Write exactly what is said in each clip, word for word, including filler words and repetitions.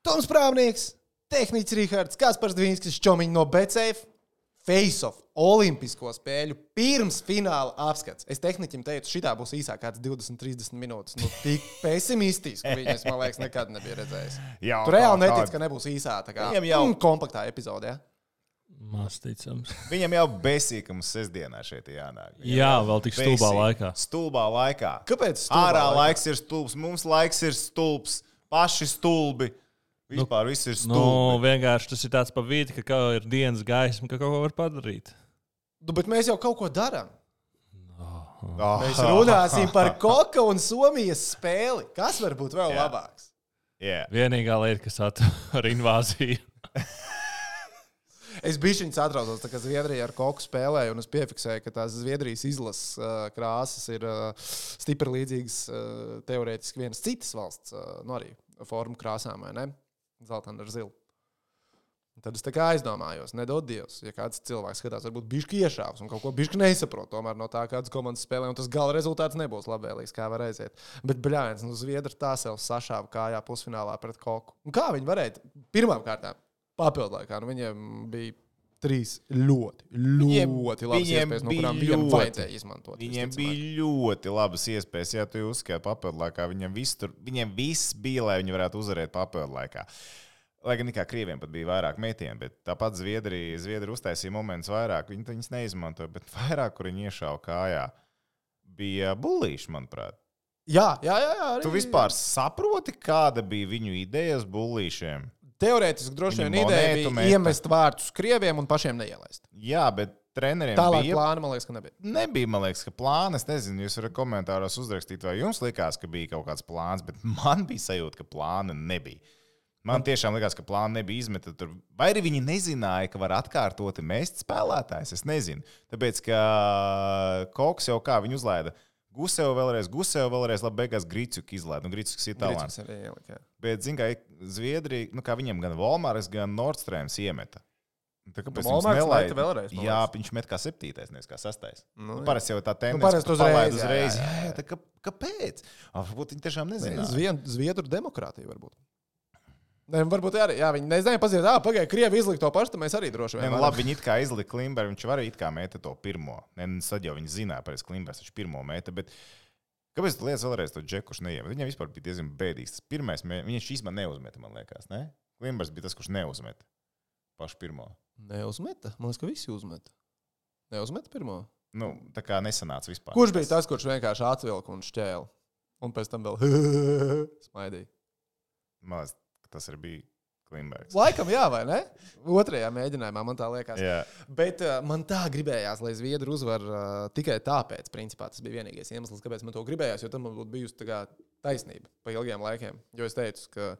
Toms Prāvnieks, tehniķis Rihards, Kaspars Dvīnskis, Čomiņš no Betsafe, Face-off, olimpisko spēļu pirms fināla apskats. Es tehniķim teicu, šitā būs īsāk kāds divdesmit trīsdesmit minūtes. Nu, tik pesimistiski viņas, man liekas, nekad nebija redzējis. Jā, tu reāli netic, ka nebūs īsā tā kā jau... mm, kompaktā epizodē. Ja? Maz ticams. Viņam jau besīkams sestdienā šeit jānāk. Viņam Jā, vēl tik stulbā laikā. Stulbā laikā. Kāpēc stulbā Ārā laikā? laiks ir stulbs, mums laiks ir stulbs, paši stulbi. Vispār nu, viss ir stulbi. Nu, vienkārši tas ir tāds pa vidi, ka ir dienas gaisma, ka kaut ko var padarīt. Nu, bet mēs jau kaut ko darām. Oh. Mēs runāsim par Koka un Somijas spēli. Kas var būt vēl Jā. labāks? Yeah. Vienīgā lieta, kas atver invāziju. Es bišķiņ satraucos, tā kā Zviedrija ar Koku spēlēju, un es piefiksēju, ka tās Zviedrijas izlases uh, krāsas ir uh, stipri līdzīgas uh, teorētiski vienas citas valsts, uh, nu arī formu krāsām, vai ne? Zeltana ar zilu. Tad es tā kā aizdomājos, nedod Dievs, ja kāds cilvēks skatās, varbūt bišķi iešāvs un kaut ko bišķi nesaprot, tomēr no tā kādas komandas spēlē, un tas gala rezultāts nebūs labvēlīgs, kā var aiziet. Bet, bļāviens, nu Zviedri tā sev sašāva kājā pusfinālā pret Koku. Un kā viņi varēja? Pirmām kārtām papildlaikā, nu viņiem bija trīs ļoti, ļoti labas iespējas, no kurām viņam vajadzēja izmantot. Viņiem bija ļoti labas iespējas, ja tu uzskati papildu laikā. Viņiem viss, tur, viņiem viss bija, lai viņi varētu uzvarēt papildu laikā. Lai gan nekā krieviem pat bija vairāk metieni, bet tāpat Zviedrija, Zviedrija uztaisīja momentus vairāk. Viņi viņus neizmantoja, bet vairāk, kur viņi iešāva kājā, bija bullīši, manuprāt. Jā, jā, jā. jā arī, tu vispār saproti, kāda bija viņu idejas bullīšiem? Teorētiski droši vien ideja bija meta. Iemest vārtus krieviem un pašiem neielaist. Jā, bet treneriem Tālāk bija... plāna, man liekas, ka nebija. Nebija, man liekas, ka plāna. Es nezinu, jūs varat komentāros uzrakstīt, vai jums likās, ka bija kaut kāds plāns, bet man bija sajūta, ka plāna nebija. Man tiešām likās, ka plāna nebija izmeta tur. Vai arī viņi nezināja, ka var atkārtoti mest spēlētājs? Es nezinu. Tāpēc, ka Koks jau kā viņu uzlaida. Gusev vēlreiz, Gusev vēlreiz, labi, beigās Gricuk izlaid. Nu, Gricuks ir talants. Bet, zin, kā Zviedrija, nu, kā viņiem gan Volmārs, gan Nordstrēms iemeta. Tā kāpēc viņš nelaida? Vēlreiz, jā, viņš met kā septītais, nevis kā sastais. Nu, nu, parasti jau tā tendence, nu, ka palaid uzreiz. Jā, jā, jā. Tā, kā, kāpēc? Varbūt viņi tiešām nezināja. Zviedru demokrātija varbūt. Ne, varbūt arī, jā, viņi nezināja paziet, ā, pagaid, Krievi izlika to pašu, tad mēs arī droši vien. Ne, nu, labi, viņi it kā izlika Klimberu, viņš var it kā meta to pirmo. Ne, sad jau viņi zināja, pareiz Klimbers, viņš pirmo meta, bet kāpēc tu lietas vēlreiz to džekušu neiemet? Viņam vispār bija diezgan bēdīgs. Tas pirmais, viņš īstenībā neuzmeta, man liekas, ne? Klimbers bija tas, kurš neuzmeta pašu pirmo. Neuzmeta? Man liekas, ka visi uzmeta. Neuzmeta pirmo? Nu, tā kā nesanāca vispār. Kurš bija tas, kurš vienkārši atvilka un šķēla? Un pēc tam vēl smaidīja. Man liekas, tas arī bija Klimbergs. Laikam jā, vai ne? Otrajā mēģinājumā man tā liekas. Jā. Bet uh, man tā gribējās, lai Zviedri uzvar uh, tikai tāpēc, principā tas bija vienīgais iemesls, kāpēc man to gribējās, jo tam man būtu bijusi tā kā taisnība pa ilgiem laikiem. Jo es teicu, ka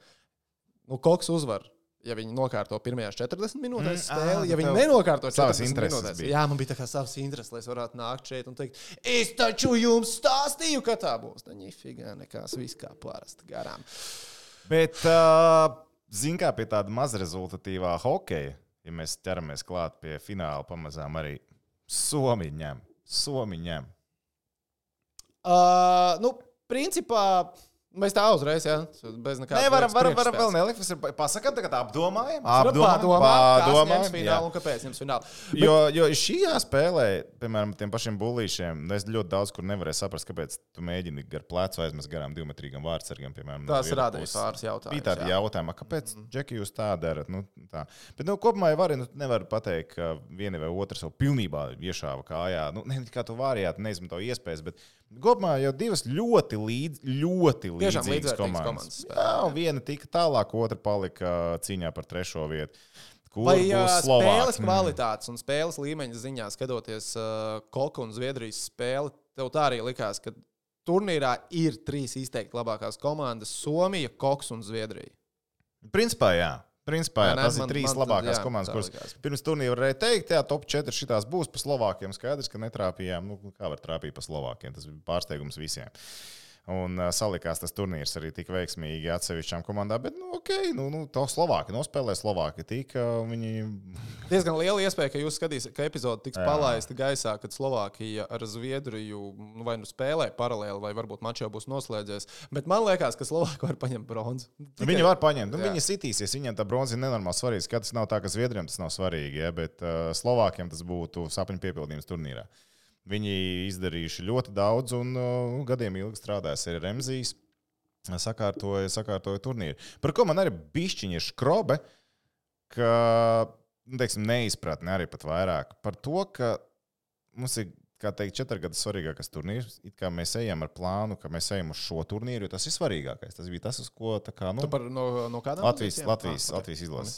nu, Koks uzvar, ja viņi nokārto pirmajās četrdesmit minūtēs spēli, mm, ja viņi nenokārto četrdesmit minūtēs. Jā, man bija tā kā savs intereses, lai es varētu nākt šeit un teikt, es taču jums stāstīju, ka tā būs. Tā ņifigā nekās viss kā parasti garām. Bet, uh, zin kā pie tāda mazrezultatīvā hokeja, ja mēs ķeramies klāt pie fināla pamazām arī Somi ņem. Somi ņem. Uh, nu, principā... Mēs tā uzreiz, jā, bez nekādas. Nē, varam, varam, varam vēl nelikt. Mēs pasakām, tagad apdomājam. Apdomājam, apdomājam. Kas finālu un kāpēc jums finālu. Bet... Jo, jo šajā spēlē, piemēram, tiem pašiem bullīšiem, es ļoti daudz kur nevarēju saprast, kāpēc tu mēģini gar plecu aizmest garām divmetrīgam vārdsargam, piemēram. Tās rādīja pāris jautājumus. Bija tādi jautājumi, kāpēc, mm. Džeki, jūs tā darat? Nu, tā. Bet, nu, kopumā jau var, nu, nevar pateikt, ka viena vai otra jau pilnībā iešāva kājā. Nu, ne, kā tu vārījāt, neizmanto iespējas, bet kopumā jau divas ļoti līdz, ļoti līdzīgas komandas. komandas Jā, viena tika tālāk, otra palika cīņā par trešo vietu. Kur Vai būs spēles kvalitātes un spēles līmeņa ziņā skatoties uh, Koka un Zviedrijas spēli, tev tā arī likās, ka turnīrā ir trīs izteikti labākās komandas - Somija, Koks un Zviedrija? Principā jā. Principā, jā, ne, tas man, ir trīs man, labākās jā, komandas, kuras likās. Pirms turnīra varēja teikt, jā, top četri šitās būs pa Slovākiem. Skaidrs, ka netrāpījām. Nu, kā var trāpīt pa Slovākiem? Tas bija pārsteigums visiem. Un uh, salikās tas turnīrs arī tik veiksmīgi atsevišķām komandām, bet, nu, ok, nu, nu to Slovāki nospēlē, Slovāki tika, viņi... Diezgan liela iespēja, ka jūs skatīsiet, ka epizode tiks Jā. palaista gaisā, kad Slovākija ar Zviedriju nu, vai nu spēlē paralēli, vai varbūt mačs jau būs noslēdzies. Bet man liekas, ka Slovāki var paņemt bronzu. Tikai... Viņi var paņemt, nu, viņi sitīsies, viņiem tā bronza ir nenormāli svarīga. Skatās nav tā, ka Zviedriem tas nav svarīgi, ja, bet uh, Slovākiem tas būtu sapņu piepildījums turnīrā. Viņi izdarījuši ļoti daudz un uh, gadiem ilgi strādājas arī Remzijs. Sakārtoja, sakārtoja turnīru. Par ko man arī bišķiņi ir škrobe, ka, nu, teiksim, neizpratne arī pat vairāk. Par to, ka mums ir, kā teikt, četri gadi svarīgākais turnīrs. It kā mēs ejam ar plānu, ka mēs ejam uz šo turnīru, jo tas ir svarīgākais. Tas bija tas, uz ko tā kā, nu... Tu par no, no kādām? Latvijas, Latvijas, ah, Latvijas izlases.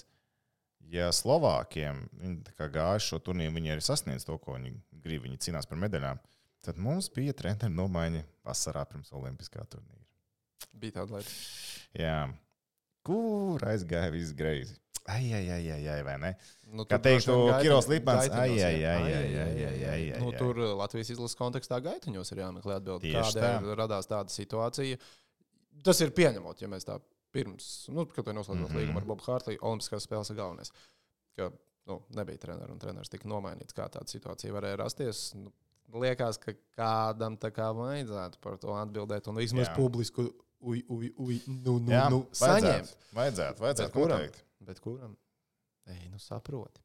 Ja Slovākiem viņi gāja šo turnīru, viņi arī sasniedz to, ko viņi grib, viņi cīnās par medaļām, tad mums bija treneru nomaiņa vasarā pirms olimpiskā turnīra. Bija tāda lieta. Jā. Kur aizgāja viss greizi? Ai, ai, ai, ai, ai, vai ne? Nu, kā teiktu Kiros Lipmans, ai, ai, ai, ai, ai, ai, ai, ai. Nu, tur Latvijas izlases kontekstā gaitiņos ir jāmeklē atbildi, kādēļ radās tāda situācija. Tas ir pieņemot, ja mēs tā pirms, nu, kad to noslēdzot mm-hmm. līgumu ar Bobu Hārtliju, olimpiskās spēles ir galvenais. Ka, nu, nebija treneru un treneris tika nomainīts, kā tāda situācija varēja rasties. Nu, liekas, ka kādam tā kā vajadzētu par to atbildēt un vismaz publisku uj, uj, uj, nu, nu, Jā, nu, saņemt. Vajadzētu, vajadzētu kuram, noteikti. Bet kuram? Ej, nu saproti.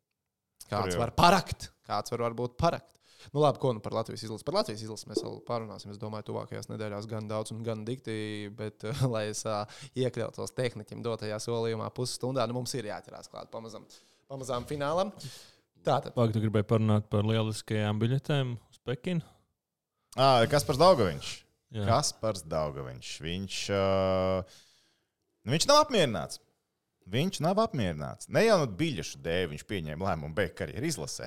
Kāds var parakt, kāds var varbūt parakt. Nu labi, ko nu par Latvijas izlases? Par Latvijas izlases mēs vēl pārunāsim, es domāju, tuvākajās nedēļās gan daudz un gan dikti, bet, uh, lai es uh, iekļautos tehniķim dotajā solījumā pusstundā, nu mums ir jāķerās klāt pamazam, pamazām finālam. Tātad. Vai tu gribēji parunāt par lieliskajām biļetēm uz Pekinu? Ah, Kaspars Daugaviņš. Jā. Kaspars Daugaviņš. Viņš, uh, viņš nav apmierināts. Viņš nav apmierināts. Ne jau no biļešu dēļ viņš pieņēma lēmumu beigt karjeru izlasē.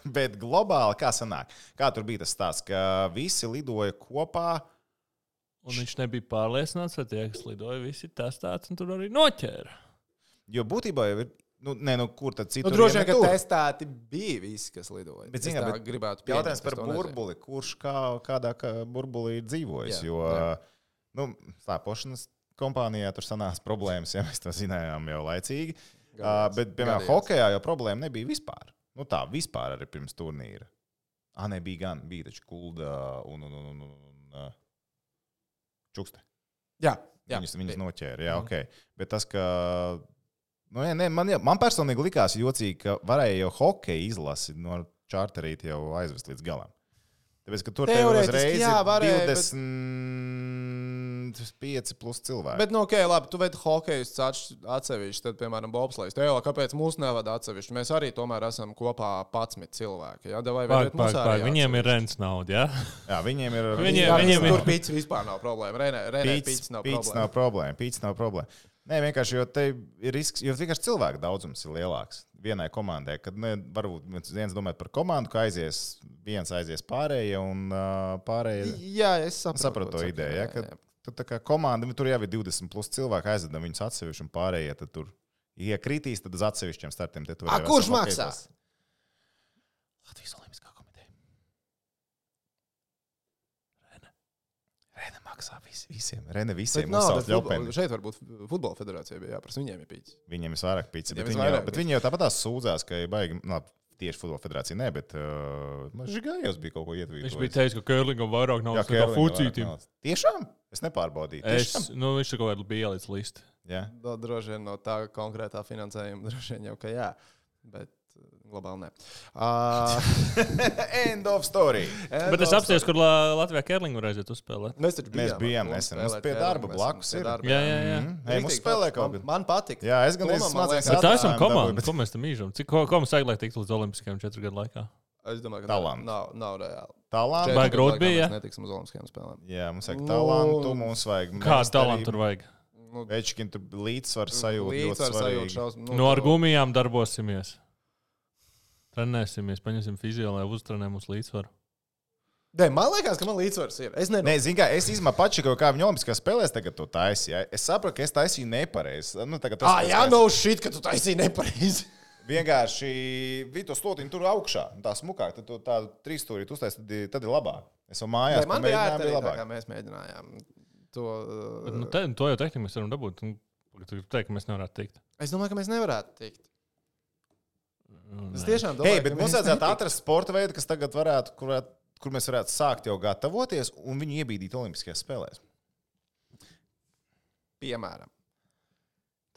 Bet globāli, kā sanāk? Kā tur bija tas stāsts, ka visi lidoja kopā? Un viņš nebija pārliecināts, vai tie, kas lidoja, visi testēts un tur arī noķēra. Jo būtībā jau ir, nu, ne, nu, kur tad citur? Nu, droši vien, ka testēti bija visi, kas lidoja. Bet, zin, bet gribētu jautājums par burbuli, kurš kā, kādā kā burbulī ir dzīvojis, jā, jo, jā. Nu, slēpošanas kompānijā tur sanās problēmas, ja mēs to zinājām jau laicīgi. Gadījās, bet, piemēram, gadījās. Hokejā jau problēma nebija vispār. Nu tā, vispār arī pirms turnīra. Ah, ne, bija gan, bija taču Kulda un, un, un, un, un uh, Čukste. Jā, jā. Viņus, viņus noķēra, jā, mm. ok. Bet tas, ka, nu, jā, ne, man, man personīgi likās jocīgi, ka varēja jau hokeja izlasi no čārterīt jau aizvest līdz galam. Tāpēc, ka tur tev uzreiz jā, varēja, divdesmit pieci plus cilvēki. Bet, nu, ok, labi, tu veidi hokejus atsevišķi, tad, piemēram, bobslejs. Tev, kāpēc mūs nevada atsevišķi? Mēs arī tomēr esam kopā padsmit cilvēki. Jā, vai pāk, pāk, pāk. Viņiem ir rents nauda, jā? Jā, viņiem ir... Viņiem, jā, viņiem tur pīts vispār nav problēma. Renē, Renē pīts nav pīts problēma. Nav problēma. Pīts nav problēma. Nē, vienkārši, jo te ir risks, jo vienkārši cilvēku daudzums ir lielāks vienai komandai, kad ne, varbūt viens domāt par komandu, ka aizies, viens aizies pārējie un uh, pārējie... Jā, es saprotu. Sapratu to ideju, ja, ka tu, tā kā komanda, tur jau ir divdesmit plus cilvēki, aizvedam viņus atsevišķi un pārējie, tad tur, ja kritīs, tad uz atsevišķiem startiem. A, kurš maksā? Latvijas Olimpiskā komiteja. Rene. Rene maksā vis, visiem. Rene visiem uzsauc ļaupeni. Šeit varbūt futbola federācija bija jāprasa. Viņiem ir pīcis. Viņiem ir vairāk pīcis. Bet, viņi jau, bet viņi jau tāpat tās sūdzās, ka baigi, labi, tieši futbola federācija ne, bet uh, Žigājos bija kaut ko ietvītojis. Viņš bija teicis, ka Kērlingam vairāk nav nekā Fucītim. Tiešām? Es nepārbodīju. Es, nu, viņš ir kaut kādā bija ielicis listi. Jā. Da, droši vien no tā konkrētā finansējuma, droši vien jau, ka jā. Bet globāli ne. Uh... End of story. End bet es apsties, kur Latvijā Kērlingu varēsiet uzspēlēt. Mēs taču bijām. Mēs bijām nesen. Mums pie darba blakus ir. Jā, jā, jā. Mm. Hey, mums spēlē kaut man, man patīk. Jā, es gan izsmācījos. Bet tā esam komanda. Bet... Ko mēs tam īžam? Cik, ko, ko mums vajag, lai tiktu līdz olimpiskajām četru gadu laikā? Es domāju, ka talantu. Nav, nav reāli. Talantu. Vai grūti bija? Mēs netiksim uz olimpiskajām spēlēm. Jā, mums vajag talantu, mums vajag... Kādu talantu tur vajag? Nu, Večkin, tur līdzsvaru sajūta ļoti svarīgi. Nu, no ar gumijām darbosimies. Trenēsimies, paņemsim fizio, lai uztrenē mums līdzsvaru. Dē, man liekas, ka man līdzsvars ir. Es nezinu. Nē, zin kā, es izmā pačikoju, kā viņa olimpiskās spēlēs tagad to taisīja. Es saprotu, ka es taisīju nepareizi. Nu, ah, jā, no shit, ka tu taisīji nepareizi. Vienkārši bija to slotiņu tur augšā. Tā smukāk, tad tādu trīsstūrītu uztaisīt, tad, tad ir labāk. Es jau mājās Nē, man bija ērti arī labāk. tā, kā mēs mēģinājām. to. Uh, Bet, nu, te, to jau tehniski mēs varam dabūt. Tu teici, ka mēs nevarētu tikt. Es domāju, ka mēs nevarētu tikt. Nu, Es nē. tiešām domāju, Hei, bet mums vajadzētu atrast sporta veidu, kas tagad varētu, kur, kur mēs varētu sākt jau gatavoties un viņu iebīdīt Olimpiskajās spēlēs. Piemēram.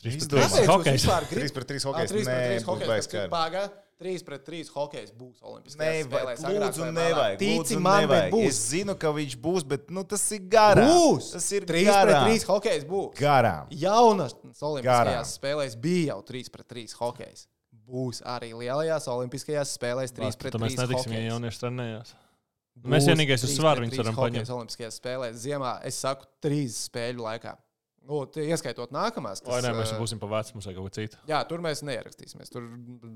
trīs pret Izdomā. trīs Kāpēc jūs hokejs. vispār gribat? trīs pret trīs Ā, hokejs. trīs pret Nē, trīs būs hokejs, baigs kas kārt. Pagā, trīs pret trīs hokejs būs Olimpiskajās Nevajag, spēlēs. agrāk lūdzu, vai nevajag. vēlāk. Tici Lūdzu, man, bet nevajag. būs. Es zinu, ka viņš būs, bet nu, tas ir garām. Būs! Tas ir trīs pret garām. trīs hokejs būs. Garām. Jaunas Olimpiskajās Garām. spēlēs bija jau trīs pret trīs hokejs. Būs arī lielajās Olimpiskajās spēlēs trīs pret Tad mēs trīs netiksim, ja hokejs. jaunieši trenējās. Būs Mēs vienīgais uz trīs svaru pret viņus trīs varam hokejs paņemt. Olimpiskajās spēlēs ziemā, es saku, trīs spēļu laikā. Nu, tie ieskaitot nākamās. Vai ne, mēs ā, būsim pa vecu, mums vajag kaut ko citu. Jā, tur mēs neierakstīsimies. Tur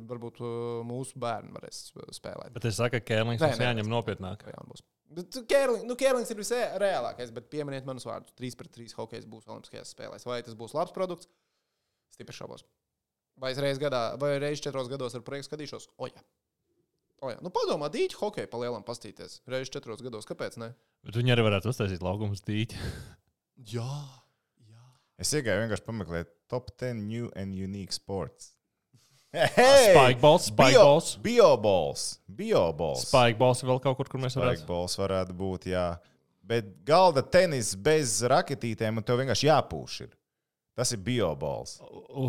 varbūt ā, mūsu bērni varēs spēlēt. Bet es saku, ka Kērlings Nē, mums nē, jāņem nopietnāk. Jā, būs. Bet Kērling, nu, Kērlings ir visreālākais, bet pieminiet manus vārdus. trīs pret trīs hokejs būs Olimpiskajās spēlēs. Vai tas būs labs produkts? Stipri šaubos. Vai es reiz gadā, vai reiz četros gados ar projektu skatīšos? O, jā. O, jā. Nu, padomā, dīķi hokeju pa lielam pastīties. Reiz četros gados, kāpēc ne? Bet viņi arī varētu uztaisīt laukumus dīķi. Jā. jā. Es iegāju vienkārši pameklēt top ten new and unique sports. Spikeballs, spikeballs. Bioballs. Bioballs. Spikeballs vēl kaut kur, kur mēs varētu. Spikeballs varētu būt, jā. Bet galda tenis bez raketītēm un tev vienkārši jāpūš ir. Tas ir bioballs.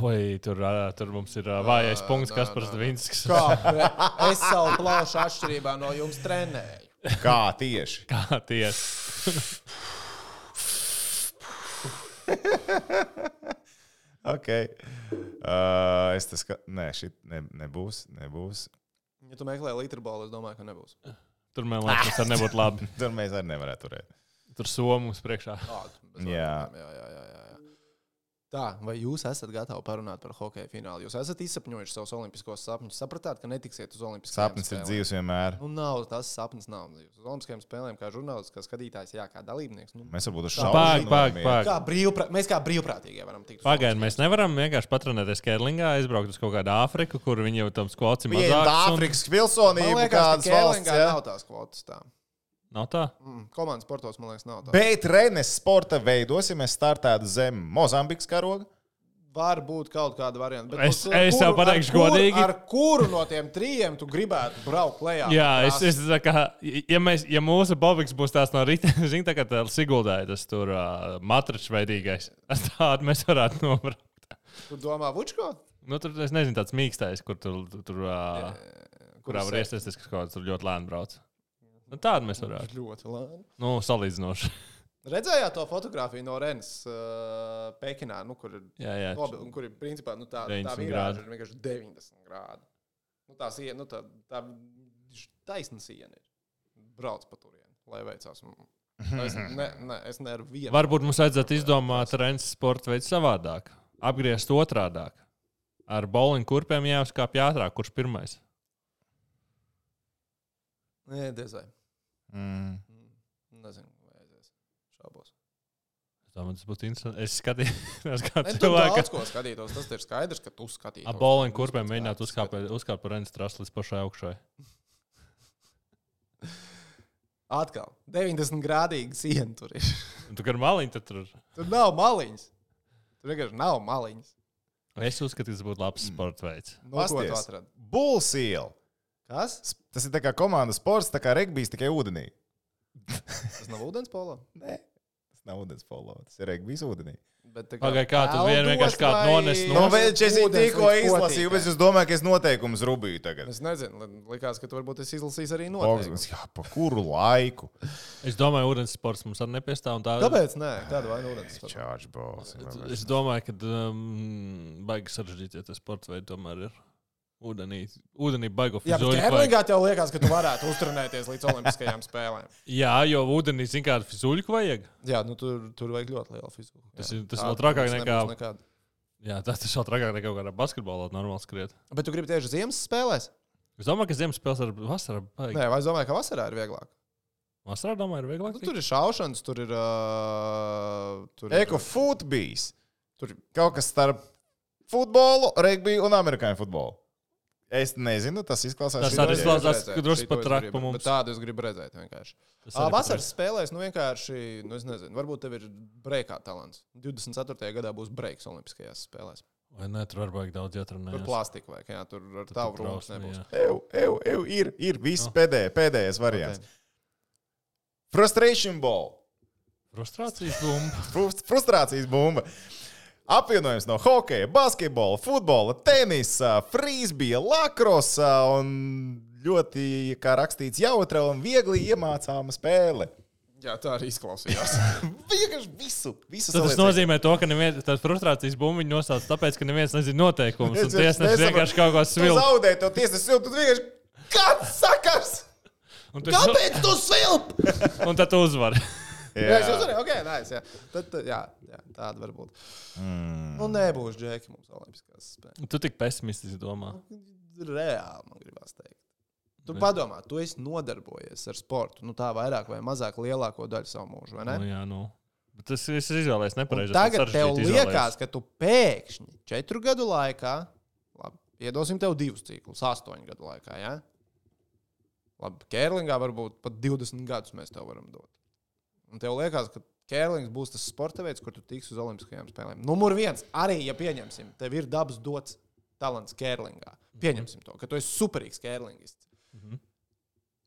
Vai tur, ā, tur mums ir ā, vājais punkts, nē, kas par nē, nē. Zvinskas. Kā? Re- Es savu plaušu atšķirībā no jums trenēju. Kā tieši? Kā tieši. Ok. Uh, es tas, ka... Nē, šī ne, nebūs, nebūs. Ja tu meklē literbolu, es domāju, ka nebūs. Tur man liekas, tas arī nebūtu labi. Tur mēs arī nevarētu turēt. Tur somas priekšā. Tādu, bez Jā. vārdiem, jā, jā, jā, jā. Tā, vai jūs esat gatavi parunāt par hokeja finālu? Jūs esat izsapņojuši savus olimpiskos sapņus, sapratāt, ka netiksiet uz olimpiskajām Sapnis ir spēlēm? dzīves vienmēr. Nu, nav, tas sapnis nav dzīves. Uz olimpiskajām spēlēm, kā žurnālists, kā skatītājs, jā, kā dalībnieks. Nu, Mēs varbūt uz Pag, šaušanu. pag, varam pag. iet. kā brīvprā, mēs kā brīvprātīgie varam tikt. uz Pagaidiet, mēs olimpiskajām nevaram vienkārši patrenēties Kērlingā, aizbraukt uz kaut kādu Āfriku, kur viņi jau tam skvots ir Viņiem mazāks. un- Āfrikas spēlēm. pilsonība Man liekas, ka kādas valsts. Kērlingā Ja? nav tās kvotas tā. Nav tā? Mm, komandas sportos, man liekas, nav tā. Bet Renes sporta veidos, ja mēs startētu zem Mozambikas karoga. Var būt kaut kāda varianta. bet Es- uz es tev kuru- pateikšu ar kuru- godīgi. Ar kuru no tiem trijiem tu gribētu braukt lejā? Jā, pa es, trasi? es tā kā, ja, mēs, ja mūsu bobiks būs tās no rīta, zini, tā kā tā Siguldāja, tas tur uh, matračs veidīgais, tādu mēs varētu nobraukt. Tu domā, Vučko? Nu, tur, es nezinu, tāds mīkstais, kur tur, tur, tur uh, kurā var iestāties, kas kaut kāds tur ļoti lēni brauc. Nu, tādu mēs varētu. Ļoti labi. Nu, salīdzinoši. Redzējāt to fotografiju no Renes uh, Pekinā, nu, kur ir Jā, jā. nobil, kur ir principā nu, tā, tā deviņdesmit virāža grādi. ir vienkārši deviņdesmit grādi. Nu, tā siena, nu, tā, tā taisna siena ir. Brauc pa turieni, lai veicās. Es, ne, ne, es nevaru vienu. Varbūt mums vajadzētu izdomāt Rennes sporta veidu savādāk. Apgriezt otrādāk. Ar bowling kurpēm jāuzkāpj ātrāk, kurš pirmais. Nē, dezai. Mm. Nezinu, vai aizies. Šaubos. Es domāju, tas būtu interesanti. Es skatījos, kā Ne, tu cilvēka. daudz ko skatītos, tas ir skaidrs, ka tu skatītos. Ar bowling Tu kurpēm skatītos, mēģināt tu uzkāpt skatītos. uzkāpt par Rennes trasu līdz pašai augšai. Atkal, deviņdesmit grādīgi siena tur ir. Un tu kā ar maliņu tad tur. Tur nav maliņas. Tur vienkārši nav maliņas. Es uzskatu, ka tas būtu labs sporta veids. No ko tu Pasties. atradi? Bullseel. Kas? Tas ir tā kā komandas sports, tā kā regbijs tikai ūdenī. Tas nav ūdens polo. Nē, tas nav ūdens polo, tas ir regbijs ūdenī. Bet tā Pagaid, kā tu vien peldos vienkārši kādu vai- nones no- Nu, bet es Ūdens tikko līdz izlasīju, potītē? bet es domāju, ka es noteikumus rubīju tagad. Es nezinu, li- likās, ka tu varbūt esi izlasījis arī Augsts, noteikumus. jā, pa kuru laiku? Es domāju, ka ūdens sports mums arī nepiestāv. un Tā... Kāpēc? Nē, kāda vaina ūdens? Charge balls. Es domāju, ka um, baigi sarežģīts, ja tas sports veids tomēr ir ūdenī. Ūdenī baigo Jā, bet fizuļu. Kērlingā tev liekas, ka tu varētu uzturnēties līdz olimpiskajām spēlēm. Jā, jo ūdenī, zin kādu fizuļu vajag. Jā, nu tur, tur vajag ļoti lielu fiziku. Tas Jā. ir- tas Tā vēl trakāk mums nekā- nebūs nekāda. Jā, tas tas vēl trakāk nekā kaut kādā basketbolā normāli skriet. Bet tu gribi tieši ziemas spēlēs? Es domāju, ka ziemas spēles ar vasarā baigi. Nē, vai es domāju, ka vasarā ir vieglāk? Vasarā, domāju, ir vieglāk. Nu, tur ir šaušanas, tur ir. Uh, tur Eko ir futbijs. tur, Kaut kas starp futbolu, regbiju un amerikāņu futbolu. Es nezinu, tas izklausās. Tas arī izklausās, ka drusku pat traki pa mums. Tādu es gribu redzēt vienkārši. Vasaras spēlēs, nu vienkārši, nu es nezinu, varbūt tev ir breikā talants. divdesmit ceturtajā gadā būs breiks olimpiskajās spēlēs. Vai ne, tur var baigi daudz ietrunājās. Tur plastika vajag, jā, tur ar tavu rūmus nebūs. Ew, ew, ew, ir, ir, viss no. pēdējais, pēdējais variants. Okay. Frustration ball. Frustrācijas bumba. Frustrācijas bumba. Apvienojums no hokeja, basketbola, futbola, tenisa, frīzbija, lakrosa un ļoti, kā rakstīts, jautra un viegli iemācāma spēle. Jā, tā arī izklausījās. Vienkārši visu. visu tas nozīmē to, ka neviens, tās frustrācijas bumbiņu nosauc tāpēc, ka neviens nezina noteikumus. Un tiesnesis vienkārši kaut ko svilp. Tu zaudē to tiesnesis svilp, tu vienkārši, kāds sakars? Kāpēc tu svilp? Un tad tu uzvari. Jā, jā es uzvarēju, ok, nice, jā. Tad, jā, jā, tāda var būt. Mm. Nu, nebūs džeki mums olimpiskās spēles. Tu tik pesimistiski domā. Reāli, man gribās teikt. Tu Bet... padomā, tu esi nodarbojies ar sportu, nu tā vairāk vai mazāk lielāko daļu savu mūžu, vai ne? Nu, jā, nu. Bet tas es izvēlējies nepareizi. Tagad tev liekas, ka tu pēkšņi četru gadu laikā, labi, iedosim tev divus ciklus, astoņu gadu laikā, jā? Labi, kērlingā varbūt pat divdesmit gadus mēs tev varam dot. Un tev liekas, ka kērlings būs tas sporta veids, kur tu tiksi uz olimpiskajām spēlēm. Numur viens, arī, ja pieņemsim, tev ir dabas dots talants kērlingā. Pieņemsim to, ka tu esi superīgs kērlingists. Mm-hmm.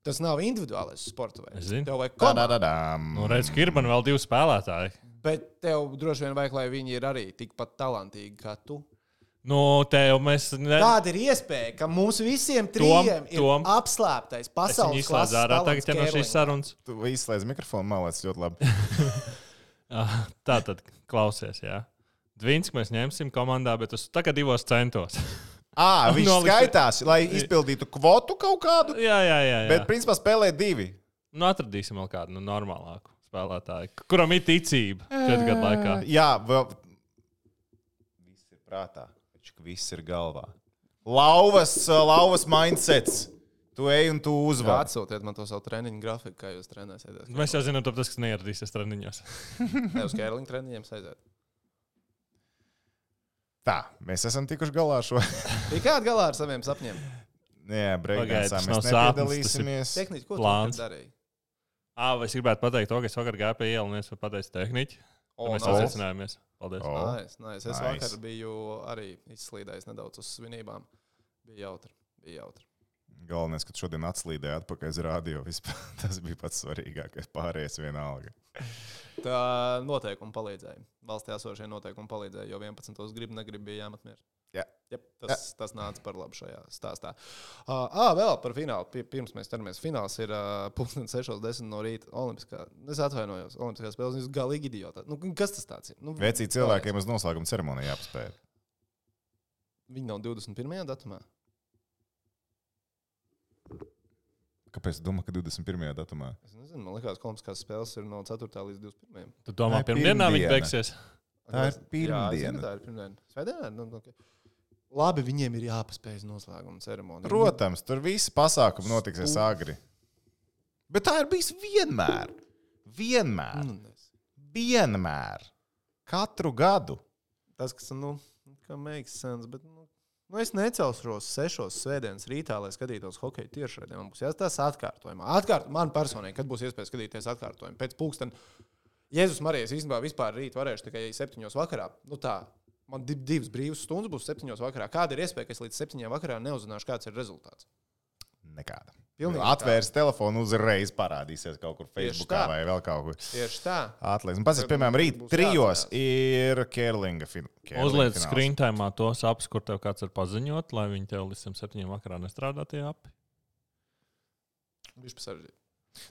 Tas nav individuālais sporta veids. Tev vajag komandu. Nu, redz, ka ir man vēl divi spēlētāji. Bet tev droši vien vajag, lai viņi ir arī tikpat talantīgi kā tu. Nu, tev mēs... Ne... Kāda ir iespēja, ka mums visiem trījiem ir tom. Apslēptais pasaules klases ārā, tagad ja no šīs sarunas. Tu izslēdz mikrofonu, malēc ļoti labi. Tā tad klausies, jā. Dvinski mēs ņemsim komandā, bet uz tagad divos centos. Ā, viņš Noliks... skaitās, lai izpildītu kvotu kaut kādu? Jā, jā, jā. jā. Bet principā spēlē divi. Nu, atradīsim vēl kādu nu, normālāku spēlētāju, kuram ir ticība četru gadu laikā. Jā, vēl... Viss ir prātā. Viss ir galvā. Lauvas, lauvas mindsets. Tu ej un tu uzvar. Jā, atsūtiet man to savu treniņu grafiku, kā jūs trenēsieties. Mēs jau zinām, tas, kas neieradīsies treniņos. Ne uz kērliņu treniņiem aiziet. Tā, mēs esam tikuši galā ar šo. Tikāt galā ar saviem sapņiem? Jā, breakdancā mēs nepiedalīsimies. Tehniķi, ko plāns. Tu darīji? Ā, vai es gribētu pateikt to, ka es vakar gāju pie ielu un es pateicu tehniķi. O, mēs sasveicinājāmies. Paldies. Oh, nice, nice. Es nice. Vakar biju arī izslīdējis nedaudz uz svinībām. Bija jautri. Bija jautri. Galvenais, ka šodien atslīdēja atpakaļ uz radio. Vispār. Tas bija pats svarīgākais. Pārējais vienalga. Tā noteikumi palīdzēja. Valstī esošie noteikumi palīdzēja, jo vienpadsmitos grib, negrib bija jāmet mieru. Jā. Jep, tas, Jā. tas nāca par labu šajā stāstā. Uh, ā, vēl par finālu. Pirms mēs ķeramies. Fināls ir uh, pulksten sešos desmit no rīta Olimpiskā. Es atvainojos. Olimpiskās spēles. Jūs galīgi idiotā. Nu, kas tas tāds ir? Nu, Vecī cilvēkiem uz noslēguma ceremoniju jāpaspēj. Viņi nav divdesmit pirmajā datumā? Kāpēc tu domā, ka divdesmit pirmajā datumā? Es nezinu. Man liekas, ka Olimpiskās spēles ir no ceturtā līdz divdesmit pirmajam. Tu domā, pirmdienā viņi beigsies? Tā ir pirmdiena. Jā, zinu, tā ir pirmdiena. Svētdienā? Nu, okay. Labi, viņiem ir jāpaspēj noslēguma ceremonija. Protams, tur visi pasākumi notiksies agri. Bet tā ir bijis vienmēr. Vienmēr. Nu, vienmēr. Katru gadu. Tas, kas, nu, kā makes sense, bet, nu, nu es necelšos sešos svētdienas rītā, lai skatītos hokeju tiešraidē. Man būs jāstās atkārtojumā. Atkārt, man personīgi, kad būs iespēja skatīties atkārtojumu. Pēc pulksten Jēzus Marijas īstenībā vispār rīt varēšu tikai septiņos vakarā. Nu tā. Man divas brīvas stundas būs septiņos vakarā. Kāda ir iespēja, ka es līdz septiņiem vakarā neuzzināšu, kāds ir rezultāts? Nekāda. Pilnīgi atvērs tā. Telefonu, uzreiz parādīsies kaut kur Facebookā vai vēl kaut kur. Tieši tā. Atlieks. Un pats, piemēram, rīt trijos ir Kērlinga fināls. Uzliec screentimā tos apps, kur tev kāds var paziņot, lai viņi tev līdz septiņiem vakarā nestrādā tie api. Viņš pasaržīt.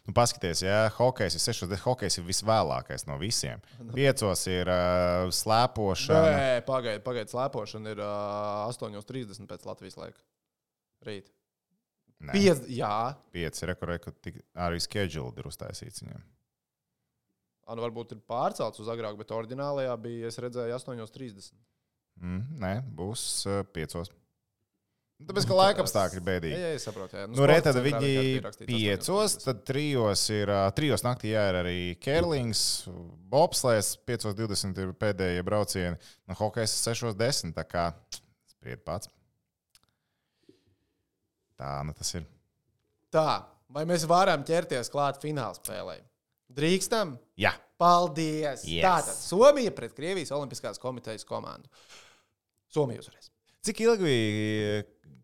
Nu, paskaties, ja hokejs ir sešos, hokejs ir visvēlākais no visiem. Piecos ir uh, slēpošana. Nē, pagaid, pagaid, slēpošana ir uh, astoņos trīsdesmit pēc Latvijas laika. Rīt. Piec, jā. Pieci, reku, reku, tik, arī scheduled ir uztaisīts viņiem. Anu, varbūt ir pārcelts uz agrāk, bet oriģinālajā bija, es redzēju, astoņos trīsdesmit. Mm, nē, būs uh, piecos. Tāpēc, ka laika apstākļi ir bēdīgi. Jā, jā, es saprotu. Jā. Nu, nu, re, tad viņi piecos, tad trijos ir, trijos naktī jā, ir arī Kērlings, bobslēs, piecos divdesmit ir pēdējie braucieni, no hokejs sešos desmit, tā kā spried pats. Tā, nu tas ir. Tā, vai mēs varam ķerties klāt fināla spēlē? Drīkstam? Jā. Paldies! Yes. Tātad Somija pret Krievijas Olimpiskās komitejas komandu. Somija uzvarēs. Cik ilgi bija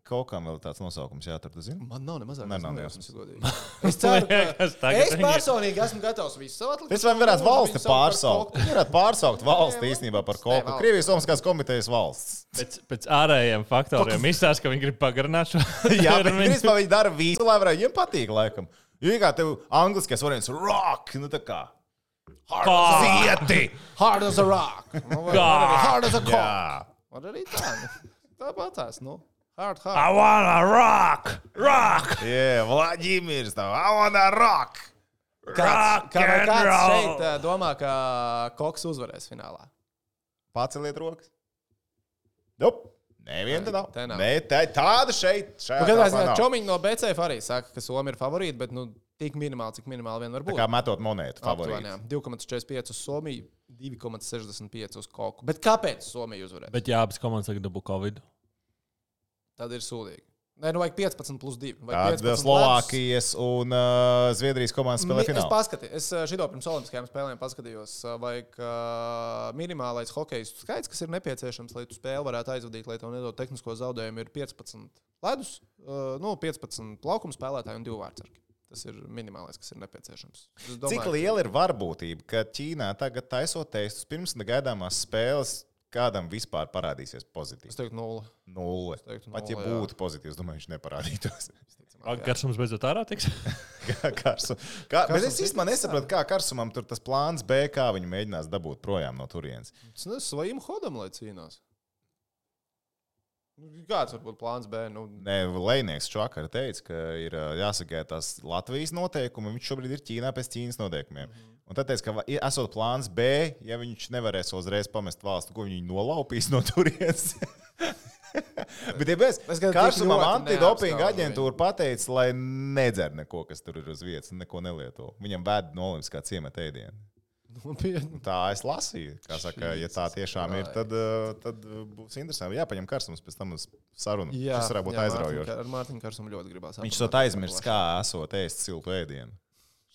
kaut kam vēl tāds nosaukums jāatrod, tu zini? Man nav nemazāk. Ne, nav nejausmas, godīgi. Es ceru, ka es personīgi esmu gatavs visu savu atlikt. Es vai varētu valsti pārsaukt. Viņi varētu pārsaukt valsti īstenībā par kaut ko. Krievijas Olimpiskās komitejas valsts. Pēc, pēc ārējiem faktoriem izstāsta, ka viņi grib pagarināt šo. Jā, bet principā viņi dara visu, lai varētu. Viņiem patīk, laikam. Jo kā tev angliskais variants rock, nu tā kā. Hard as a zieti. Hard as a rock. Nu, vai, Kā? vai hard as a cock. Jā. Var arī tā. Nu. Tā patās, nu. Hard, hard. I wanna rock! Rock! Jā, Vladimirs tev. I wanna rock. Kāds, kā, vai and kāds roll. šeit uh, domā, ka Koks uzvarēs finālā? Paceliet rokas. Nope. Neviena te nav. Te nav. Nē, tā, tāda šeit. Nu, Kādā ziņā Čomiņi no B C F arī saka, ka Somija ir favorīti, bet nu, tik minimāli, cik minimāli vien var būt. Tā kā metot monētu favorīti. Aptuveni, divi komats četrdesmit pieci uz Somiju, divi komats sešdesmit pieci uz Koku. Bet kāpēc Somija uzvarēs? Bet jā, abas komandas tagad dabū Covid. Tad ir sūdīgi. Nē, nu vajag piecpadsmit plus divi. Tad Slovākijas un uh, Zviedrijas komandas spēlē Es finālā. paskatījos, es uh, šito pirms olimpiskajām spēlēm paskatījos, uh, vajag uh, minimālais hokejistu skaits, kas ir nepieciešams, lai tu spēli varētu aizvadīt, lai tev nedod tehnisko zaudējumu, ir piecpadsmit ledus, uh, nu, piecpadsmit laukuma spēlētāji un divi vārdsargi. Tas ir minimālais, kas ir nepieciešams. Es domāju, Cik liela ir varbūtība, ka Ķīnā tagad taisot testus pirms negaidāmās spēles kādam vispār parādīsies pozitīvs? Es teiktu nulle. Nulle. teiktu Pat ja nulle, jā. būtu pozitīvs, domāju, viņš neparādītos. Karsums beidzot ārā tiks? Kā Karsum. Kā, bet es īstenībā nesaprotu, kā Karsumam tur tas plāns B, kā viņi mēģinās dabūt projām no turienes. Tas nezinu, svajim hodam, lai cīnās. Kāds var būt plāns B? Nu, Nē, Lejnieks šovakar teica, ka ir ā, jāsagaida tās Latvijas noteikumi. Viņš šobrīd ir Ķīnā pēc Ķīnas noteikumiem. Mm-hmm. Un tad teica, ka va- esot plāns B, ja viņš nevarēs uzreiz pamest valstu, ko viņi nolaupīs no turienes. Bet, ja mēs Es gan tik Karsumam ļoti antidopinga neapskaužu aģentūra pateica, lai nedzer neko, kas tur ir uz vietas, un neko nelieto. Viņam vēd no olimpiskā ciemata ēdienu. nopietni. Tā es lasīju. Kā saka, ja tā tiešām ir, tad, uh, tad uh, būs interesanti. Jāpaņem Karsums pēc tam uz sarunu. Jā, Tas varētu būt jā, aizraujoši. Mārtiņ- Ar Mārtiņu Karsumu ļoti gribās. Viņš to aizmirst, kā esot ēst siltu ēdienu.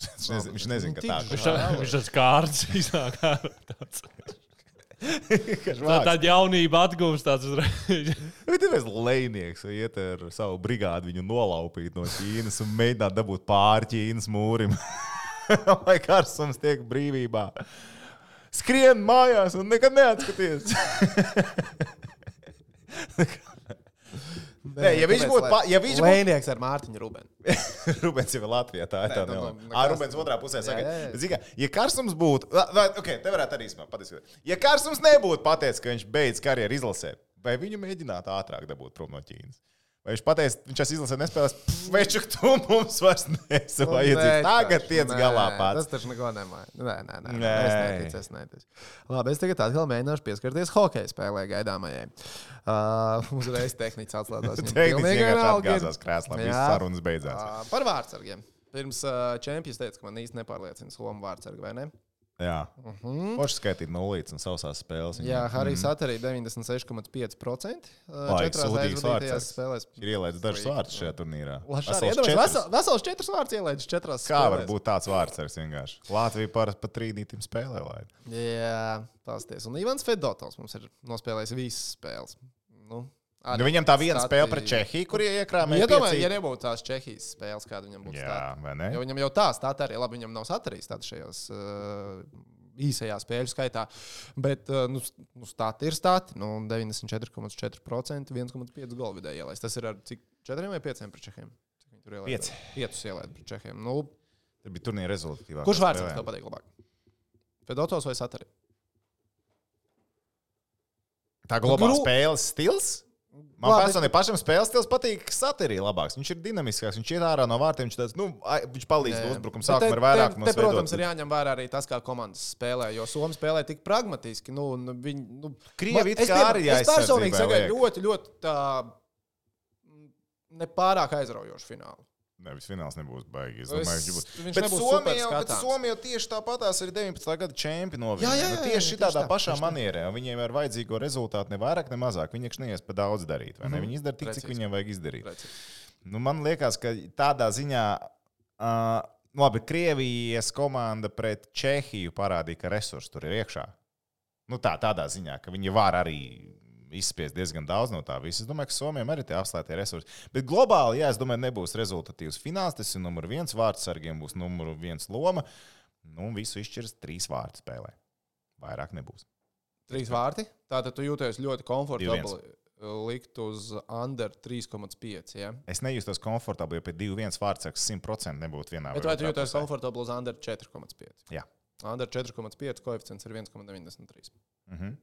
Viņš nezina, viņš nezina ka tā Nu, ir. Viņš tā- viņš tāds kārts iznāk ārā. Tāds. Tā, Tā tāda jaunība atgūst tāds uzreiz. ir viens lejnieks, vai iet ar savu brigādi viņu nolaupīt no Ķīnas un mēģināt dabūt pāri Ķīnas mūrim. Lai Karsums tiek brīvībā. Skrien mājās un nekad neatskaties. Nē, ja viņš būtu pa- ja viņš būtu- Lēnieks ar Mārtiņu Rubenu. Rubens jau ir Latvijā, tā ir Nē, tā nu, nelēma. nu, Ah, nekas. Rubens otrā pusē saka, Jā, jā, jā. bet, zini kā, ja Karsums būtu, vai, ok, te varētu arī īstenībā patiesībā. Ja Karsums nebūtu pateicis, ka viņš beidz karjeru izlasē, vai viņu mēģinātu ātrāk dabūt prom no Ķīnas? Vai viņš pateica, viņš šās izlasē nespēlēs, večuk, tu mums vairs nesi vajadzīgs. Tagad tiec Nē, galā pats. Tas taču neko nemāja. Nē, nē, nē. Nē. Es neticu, es neticu. Labi, es tagad atkal mēģināšu pieskarties hokeja spēlē gaidāmajai. Uh, uzreiz tehniķis atslēdzās. Viņam Tehniski pilnīgi vienkārši vienalga ir. atgāzās krēslā, Jā. visas sarunas beidzās. Uh, par vārdsargiem. Pirms uh, čempions teica, ka man īsti nepārliecina Somu vārdsargi, vai ne? Jā, Mhm. Forši skaitīt nulītes un sausās spēles. Jā, Harijs arī deviņdesmit seši komats pieci procenti. Vai, Četrās sūdīgs aizvadītajās vārdsargs. spēlēs. Ir ielaidis dažus vārdus šajā turnīrā. Lašāri, Vesels iedomājies, četras. vesel- Vesels četras vārds ielaidis četrās Kā var spēlēs. būt tāds vārdsargs vienkārši? Latvija parasti pat trīnītim spēlē laid. Jā, pasties. Un Ivans Fedotovs mums ir nospēlējis visas spēles. Nu, arī Nu, viņam tā viena stati- spēle pret Čehiju, kur iekrāmēja Iedomājies, ja piecīt. nebūtu tās Čehijas spēles, kāda viņam būtu Jā, stāta. vai ne? Jo viņam jau tā stāta arī, labi, viņam nav satarījis tāds šajos uh, īsajā spēļu skaitā. Bet, uh, nu, s- nu stāti ir stāti. Nu, deviņdesmit četri komats četri procenti, viens komats pieci golu vidēji ielaist. Tas ir ar cik četriem vai pieciem pret Čehiem? Cik viņi tur ielaida? Pieci. Piecus ielaida pret Čehiem. Nu, Tā bija turnīra rezultatīvākā. kurš vārds spēlē. tev patīk labāk? Fedotovs vai Satari? Tā globāla Gru- spēles stils? Man Labi, personīgi pašam spēles stils patīk Satirī labāks. Viņš ir dinamiskāks, viņš iet ārā no vārtiem, viņš, tāds, nu, ai- viņš palīdz Jā. uzbrukuma Bet sākumā te- ar vairāk te, mums te, protams, veidot. ir jāņem vērā arī tas, kā komandas spēlē. Jo Somija spēlē tik pragmatiski. Nu, un viņi, nu, Krievi it es kā pie- arī Es personīgi aizsardzībā sagaidu liek. ļoti, ļoti tā mm, nepārāk aizraujošu finālu. Nevis fināls nebūs baigi. Es Es- domāju, viņš būs. viņš Bet nebūs Somija jau, super bet skatāms. Somija jau tieši tāpatās ir deviņpadsmitā gada čempioni. Jā, jā, jā, Nu, jā, tieši tieši tādā tā, pašā tieši tā. manierē. un Viņiem ir vajadzīgo rezultātu ne vairāk, ne mazāk. Viņi iekš neies pa daudz darīt. vai ne? Mhm. Viņi izdara tik, cik Precīzi. viņiem vajag izdarīt. Reci. Nu, man liekas, ka tādā ziņā, uh, labi, Krievijas komanda pret Čehiju parādīja, ka resursi tur ir iekšā. Nu, tā, tādā ziņā, ka viņi var arī izspiest diezgan daudz no tā visa. Es domāju, ka Somijam arī tie apslēgtie resursi. Bet globāli, jā, es domāju, nebūs rezultatīvs fināls. Tas ir numur viens vārdsargiem, būs numur viens loma. Nu, visu izšķirs trīs vārtu spēlē. Vairāk nebūs. Trīs vārti? Tātad tu jūties ļoti komfortabli likt uz under trīs komats pieci, ja? Es nejūtos komfortabli, jo pie divi viens vārdsargs simt procenti nebūtu vienā. Bet vai tu jūties komfortabli uz under četri komats pieci? Jā. Under četri komats pieci koeficients ir viens komats deviņdesmit trīs. Mhm.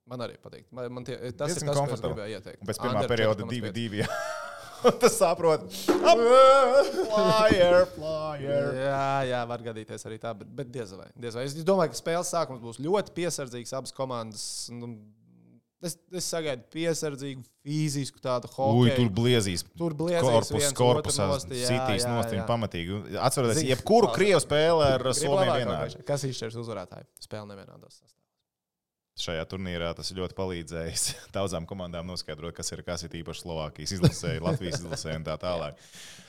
Man arī patīk. Man, man tie, tas Diezgan ir tas, ko es komfortabli. gribēju ieteikt. Un pēc pirmā Under perioda četri komats divi divi. Tas saprot. Flyer, flyer. Jā, jā, var gadīties arī tā, bet, bet diez vai, diez vai. Es domāju, ka spēles sākums būs ļoti piesardzīgs. Abas komandas, nu, es, es sagaidu piesardzīgu, fizisku tādu hokeju. Ui, tur bliezīs. Tur bliezīs Korpus, korpusā, sitīs nost viņa pamatīgi. Atceroties, jebkuru Krievu spēli ar Somiju vienādi. Kas izšķirs uzvarētāju? Spēle nevienādos sastāvos. Šajā turnīrā tas ir ļoti palīdzējis daudzām komandām noskaidrot, kas ir kas ir īpaši Slovākijas izlasē, Latvijas izlasē un tā tālāk.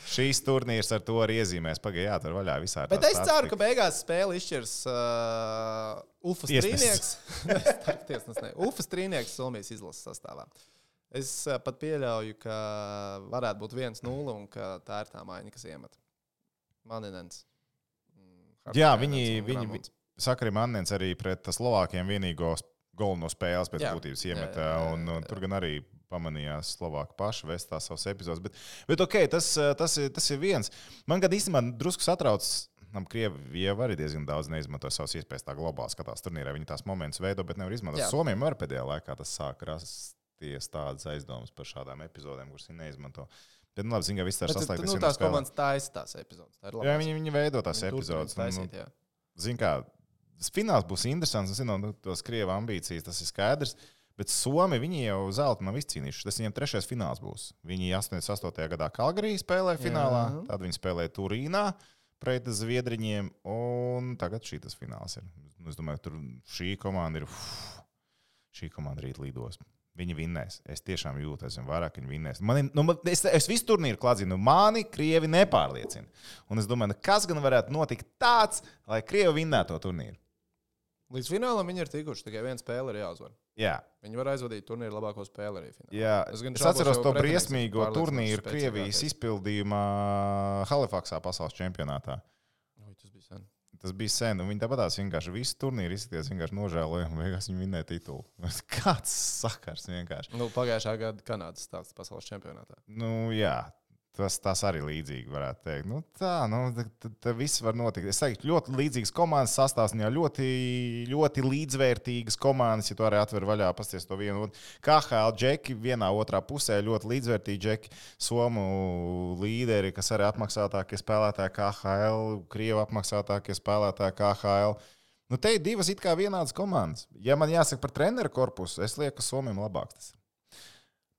Šīs turnīrs ar to arī iezīmēs. Pagaidām, jā, tur vaļā visā. Bet es ceru, ka beigās spēle izšķirs uh, Ufas Trīnieks. Ufas Trīnieks Somijas izlases sastāvā. Es uh, pat pieļauju, ka varētu būt viens nulle un ka tā ir tā maiņa, kas iemet. Maninens. Jā, viņi, viņi saka arī Maninens arī pret Slovākiem vienīgos golu no spēles pēc jā, būtības iemeta, jā, jā, jā, jā. Un, un tur gan arī pamanījās Slovāki paši vēst tās savas epizodes. Bet, bet ok, tas, tas, ir, tas ir viens. Man gan īstenībā drusku satrauc, Krievija arī diezgan daudz neizmanto savas iespējas tā globāli skatās turnīrā. Viņi tās momentus veido, bet nevar izmantot. Somijam arī pēdējā laikā tas sāk rasties tādas aizdomas par šādām epizodēm, kuras viņi neizmanto. Bet, nu, labi, zin, ka viss tā saslēgtas. Nu, tās komandas taisa tās epizodes. Tā jā, viņi, viņi veido tās viņi epizodes. Taisīt, nu, zin kā, fināls būs interesants, un zinām, nu, tos Krievu ambīcijas, tas ir skaidrs, bet Somi, viņi jau zeltu nav izcīnījuši. Tas viņiem trešais fināls būs. Viņi astoņdesmit astotajā gadā Kalgarī spēlēja finālā, jā. Tad viņi spēlēja Turīnā pret Zviedriņiem, un tagad šī tas fināls ir. Es domāju, tur šī komanda ir, uf, šī komanda rīt līdos. Viņi vinnēs. Es tiešām jūtu, esmu vairāk, viņi vinnēs. Man, nu, es, es visu turnīru kladzinu, mani Krievi nepārliecina. Un es domāju, kas gan varētu notikt tāds, lai Krievi vinnētu to turnīru. Līdz finālam viņi ir tikuši, tikai viena spēle ir jāuzvar. Jā. Viņi var aizvadīt turnīru labāko spēli arī finālā. Jā, es, es atceros to briesmīgo turnīru Krievijas izpildījumā Halifaksā pasaules čempionātā. Oi, tas bija sen. Tas bija sen, un viņi tāpatās vienkārši visu turnīru izskaties, vienkārši nožēloja, un beigās viņi vinnēja titulu. Kāds sakars vienkārši. Nu, pagājušā gada Kanādas stāsts pasaules čempionātā. Nu, jā. Tas, tas arī līdzīgi varētu teikt. Nu, tā, nu, tā viss var notikt. Es teiktu, ļoti līdzīgas komandas sastāvs, ļoti, ļoti līdzvērtīgas komandas, ja tu arī atver vaļā, pasties to vienu. K H L džeki vienā otrā pusē, ļoti līdzvērtīgi džeki, Somu līderi, kas arī apmaksātākie spēlētāji K H L, Krievu apmaksātākie spēlētāji K H L. Nu, te ir divas it kā vienādas komandas. Ja man jāsaka par treneru korpusu, es lieku, ka Somijam labāks tas.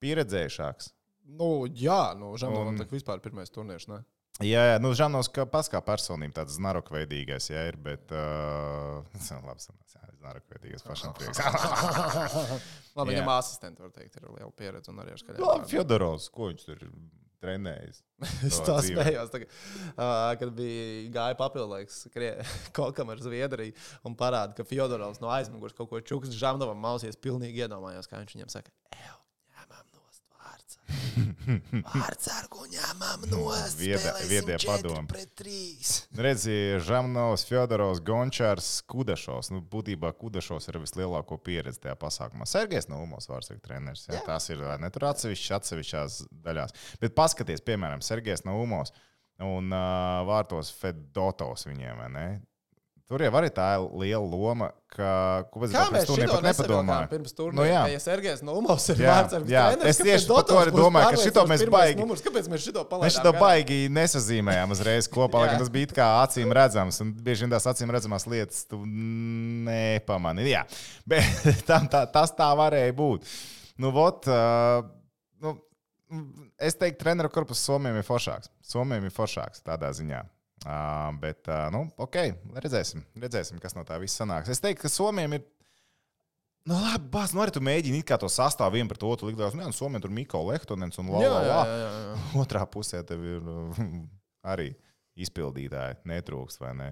Pieredzējušāks. Nu, jā, nu, Žanovs un... vispār pirmais turnīrs, ne? Jā, jā, nu, Žanovs kā pats kā personība tāds znarokveidīgais, jā, ir, bet... Uh... Labi, jā, znarokveidīgais pašam prieks. Labi, viņam asistenti, var teikt, ir liela pieredze un arī ar skaļām. Labi, Fjodorovs, ko viņš tur ir trenējis? Es tā spējos, tagad, uh, kad bija gāja papildlaiks Kokam ar Zviedriju un parāda, ka Fjodorovs no aizmugurs kaut ko čuks Žanovam mausies, pilnīgi iedomājos, kā viņš viņam saka, ew. Vārdsargu ņemam nost, spēlēsim četri pret trīs. Redzi, Žamnovs, Fjodorovs, Gončārs, Kudašovs. Nu, būtībā Kudašovs ir vislielāko pieredzi tajā pasākumā. Sergejs Naumos, vārdsargu treneris. Jā, tās ir ne tur atsevišķi, atsevišķās daļās. Bet paskaties, piemēram, Sergejs Naumos un uh, vārtos Fedotovs viņiem, vai ne? Tur jau arī tā ir liela loma, ka... Ko kā mēs šito nesadomājam pirms turnīra? Nu, jā. Ja Sergejs Naumos ir vārdsargs treneris, es tieši par to arī domāju, ka šito mēs baigi... Numurs, kāpēc mēs šito palaidām? Mēs šito baigi nesazīmējām uzreiz kopā, lai tas bija it kā acīm redzams, un bieži vien tās acīm redzamās lietas tu nepamani. Jā, bet tam, tā, tas tā varēja būt. Nu, vot... Uh, nu, es teiktu, treneru korpus Somijam ir foršāks. Somijam ir foršāks tādā ziņā. Uh, bet, uh, nu, ok, redzēsim, redzēsim, kas no tā viss sanāks. Es teiktu, ka Somijam ir Nu, labi, bāz, nu arī tu mēģini it kā to sastāvu vienu pret otru likt. Nu, Somijā tur Miko Lehtonens un la, Jā, la, jā, la. jā, jā. Otrā pusē tev ir uh, arī izpildītāji. Netrūkst, vai ne?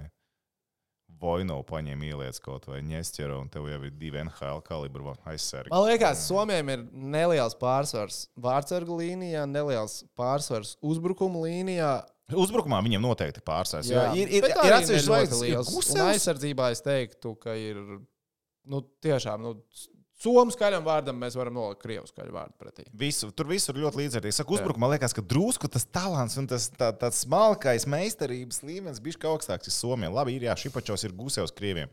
Vojno paņem ieliec kaut vai Ņesķera, un tev jau ir divi N H L kalibru aizsargi. Man liekas, Somijam ir neliels pārsvars vārdsargu līnijā, neliels pārsvars uzbrukuma līnijā. Uzbrukumā viņiem noteikti pārsvars. Jo ir, ir, Bet ir arī atsevišķi ne ļoti zvaigznes, ir liels. Un Gusevs. aizsardzībā es teiktu, ka ir nu, tiešām nu, somu skaļam vārdam mēs varam nolikt krievu skaļu vārdu pretī. Visu, tur visur ļoti līdzvērtīgi. Saku, uzbrukumā liekas, ka drusku tas talants un tas tā, tāds smalkais meistarības līmenis bišķi augstāks ir Somijam. Labi, ir jā, Šipačovs ir Gusevs krieviem.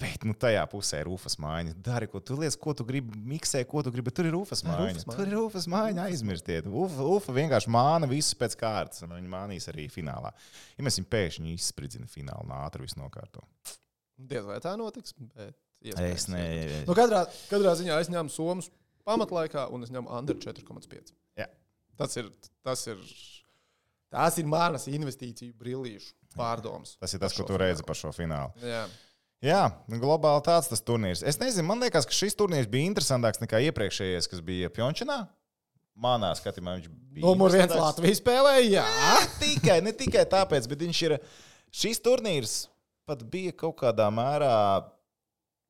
Bet nu, tajā pusē ir Ufas mājiņa. Dari, ko tu liec, ko tu gribi, miksē, ko tu gribi, bet tur ir Ufas mājiņa. Tur ir Ufas mājiņa, aizmirstiet. Ufa, Ufa vienkārši māna visus pēc kārtas, un viņi mānīs arī finālā. Ja mēs viņu pēkšņi izspridzina finālu un ātri visu nokārto. Diez vai tā notiks, bet Es ne... Nu, katrā, katrā ziņā es ņemu Somas pamatlaikā un es ņemu under četri komats pieci. Jā. Tas ir, tas ir, tās ir manas investīciju brillīšu pārdomas. Tas ir tas, ko tu redzi par šo finālu. Jā. Jā, globāli tāds tas turnīrs. Es nezinu, man liekas, ka šis turnīrs bija interesantāks nekā iepriekšējais, kas bija Pjončanā. Manā skatījumā viņš bija. Numur viens Latvijas spēlēja, jā. Ne tikai, ne tikai tāpēc, bet viņš ir. Šis turnīrs pat bija kaut kādā mērā.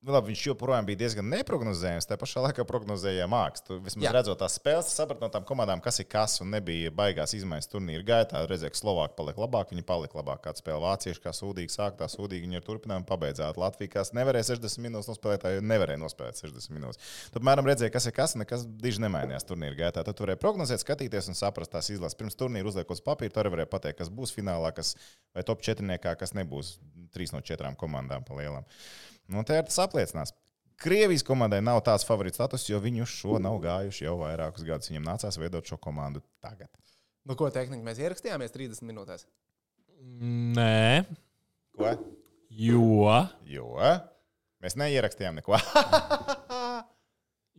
Labi, viņš joprojām bija diezgan neprognozējams. Tā pašā laikā prognozēja mākslu. Tu vismaz Jā. Redzot tās spēles, saprati no tām komandām, kas ir kas, un nebija baigās izmaiņas turnīra gaitā. Redzēja, ka Slovāki paliek labāk, viņi palika labāk. Kāda spēle vācieši, kā sūdīgi sāk, tā sūdīgi viņi ir turpinājumi pabeidzāt. Latvija, kas nevarēja sešdesmit minūtes nospēlēt, tā nevarēja nospēlēt sešdesmit minūtes. Tad, piemēram, redzēja, kas ir kas, un nekas diži nemainījās turnīra gaitā. Tad varēja prognozēt, skatīties un saprast tās izlases. Pirms turnīra uzliekot uz papīra, tur varēja pateikt, kas būs finālā, kas vai top četrniekā, kas nebūs trīs no četrām komandām pa lielām. Nu, tā ir tas apliecinās. Krievijas komandai nav tāds favorīts status, jo viņi uz šo nav gājuši jau vairākus gadus. Viņiem nācās veidot šo komandu tagad. Nu, ko tehniski mēs ierakstījāmies trīsdesmit minūtēs? Nē. Ko? Jo. Jo. Mēs neierakstījām neko.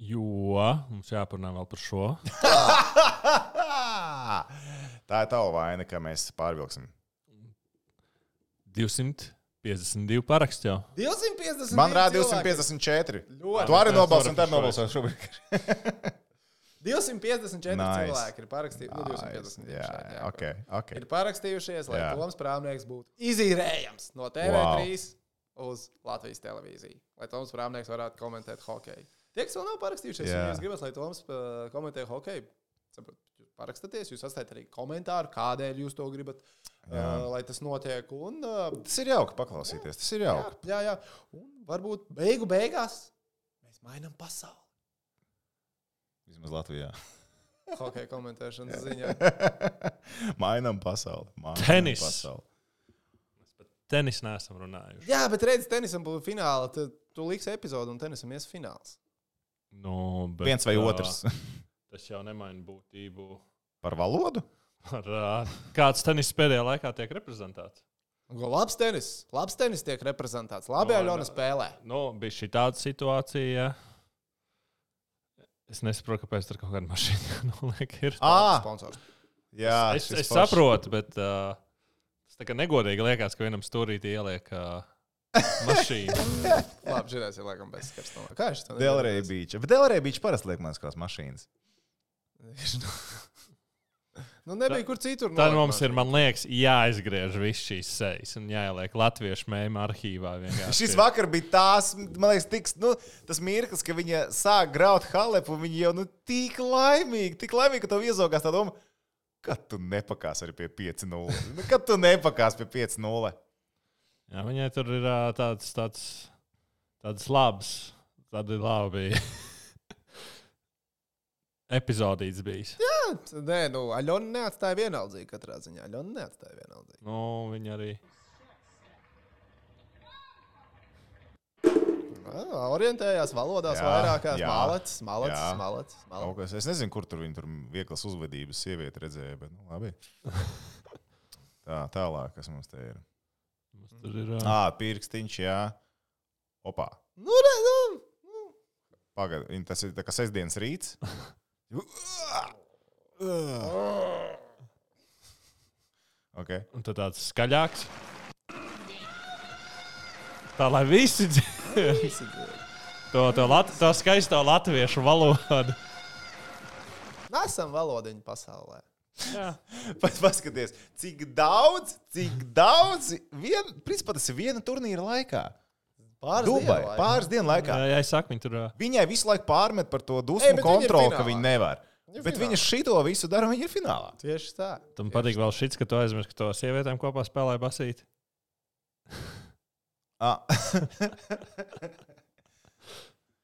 Jo. Mums jāparunā vēl par šo. Tā ir tava vaina, ka mēs pārvilksim. divsimt piecdesmit divi paraksti jau. divsimt piecdesmit Man rāda divsimt piecdesmit četri. Ļoti. Tu arī nobalsi un tad nobalsi šobrīd. divsimt piecdesmit četri Nice. cilvēki ir parakstījušies. Nu, divsimt piecdesmit Jā, šeit, jā, okay, okay. ir parakstījušies, lai Jā. Toms Prāmnieks būtu izīrējams no T V trīs wow. uz Latvijas televīziju. Lai Toms Prāmnieks varētu komentēt hokeju. Tie, kas vēl nav parakstījušies, ja jūs gribat, lai Toms uh, komentē hokeju, saprot, jūs parakstaties, jūs atstājat arī komentāru, kādēļ jūs to gribat, uh, lai tas notiek. Un, uh, Tas ir jauki paklausīties. Tas ir jauki. jā, jā, jā. Un varbūt beigu beigās mēs mainām pasauli. Vismaz Latvijā. Hokeja komentēšanas ziņā. Mainām pasauli. Mainam Tenis. Pasauli. Mēs par tenisu neesam runājuši. Jā, bet redz, tenisam būs fināla. Tu, tu liksi epizodu un tenisam ies fināls. Nu, bet, Viens vai ā, otrs. Tas jau nemaina būtību. Par valodu? Par, ā, kāds tenis pēdējā laikā tiek reprezentēts? Go, labs tenis. Labs tenis tiek reprezentēts. Labi, No, Aļona spēlē. Nu, bija šī tāda situācija. Es nesaprotu, kāpēc tur kaut kāda mašīna noliek ir. Ā, Sponsors. jā. es šis es foršs. saprotu, bet uh, tas tā kā negodīgi liekas, ka vienam stūrītī ieliek uh, mašīnu. Labi, šitās ir laikam bez skars. No. Kā es to Delray Beach. Bet Delray Beach parasti liek manas kādas mašīnas. Nu, nebija kur citur. Tad nolikt mums ir, mašīnu. man liekas, jāizgriež viss šīs sejas un jāieliek latviešu mēmu arhīvā. vienkārši. Šis vakar bija tās, man liekas, tiks, nu, tas mirklis, ka viņa sāk graut Halepu, un viņa jau nu, tik laimīgi, tik laimīgi, ka tev iezogās tā doma, kad tu nepakās arī pie pieci nulle. Nu, kad tu nepakās pie pieci nulle. Jā, viņai tur ir ā, tāds, tāds, tāds labs, tādi labi epizodīts bijis. Jā, nē, nu, Aļona neatstāja vienaldzīgi katrā ziņā. Aļona neatstāja vienaldzīgi. Nu, viņa arī. Jā, orientējās valodās Jā, vairākās. jā, Malacis, malacis, jā. malacis, Kaut malacis. kas, es nezinu, kur tur viņa tur vieglas uzvedības sievieti redzēja, bet nu, labi. Tā, tālāk, kas mums te ir. Mums tur ir ā, Ā, pirkstiņš, jā. Opā. Nu, re, nu. Pagad, tas ir tā kā sestdienas rīts. Okay. un tad tāds skaļāks. Tā, lai visi dzird. Visi dzird. To, to, lat, to skaisto latviešu valodu. Esam valodiņu pasaulē. Jā. Pat paskaties, cik daudz, cik daudz, vien, principā tas ir viena turnīra laikā. Pāris Dubai, dienu laikā. pāris dienu laikā. Jā, jā, es saku, viņi tur. ā, Viņai visu laiku pārmet par to Ei, dusmu bet viņa ir kontroli, ka finālā. viņa nevar. Viņa ir Bet finālā. viņa šito visu dara, viņa ir finālā. Tieši tā. Tam patīk vēl šits, ka tu aizmirsti, ka to sievietēm kopā spēlē basīt. Ah.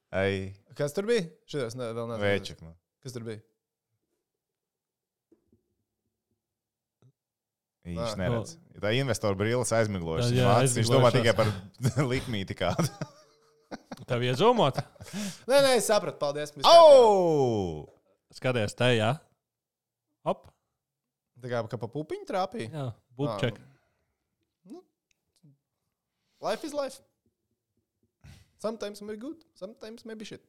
Ai, Kas tur bija? Šitos ne, vēl nezinu. vēčik. Nu. Kas tur bija? Viņš Ah. neredz. Ja tā investoru brīlis aizmiglojuši. Jā, Viņš viņš domā aizmiglojušās. tikai par likmīti kādu. Tev iezūmot? Nē, nē, es sapratu. Paldies. viss Au! Skaties, te, jā. Op. kārtībā. Tā kā, kā pa pupiņu trāpīja. Jā, būtček. Life is life. Sometimes may be good, sometimes may be shit.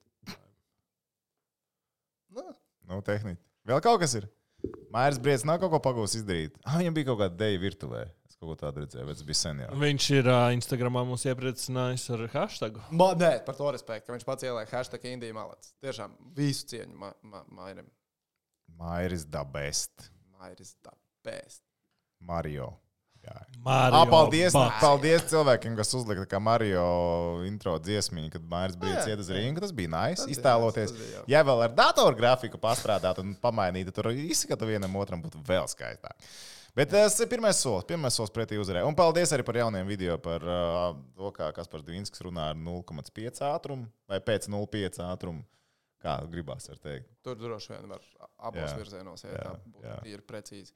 Nu, Nu, tehniski. Vēl kaut kas ir. Mairs Briedis nav kaut ko pagūs izdarīt. Ah, viņam bija kaut kāda deja virtuvē. Es kaut ko tādu redzēju, bet tas bija sen jau. Viņš ir uh, Instagramā mums iepriecinājis ar hashtagu. ma, nē, par to respektu, ka viņš pats ieliek hashtag Indija malets. Tiešām visu cieņu ma, ma, Mairim. Mairis the best. Mairis the best. Mario. Jā. Mario Ah, paldies, Bats. paldies cilvēkiem, kas uzlika kā Mario intro dziesmiņu, kad Mairis Briedis Jā, iet uz jā. ringu. Tas bija nice. Tas bija Iztēloties. nice, tas bija jauki. Ja vēl ar datorgrafiku pastrādāt un pamainīt, tad tur izskatu vienam otram būtu vēl skaistāk. Bet tas ir pirmais solis, pirmais solis pretī uzvarē. Un paldies arī par jauniem video par uh, to, kā Kaspars Dvinskis runā ar nulle komats pieci ātrumu vai pēc nulle komats pieci ātrumu. Kā gribās var teikt. Tur droši vien var abos Jā, virzienos, ja jā, tā būtu, jā. ir precīzi.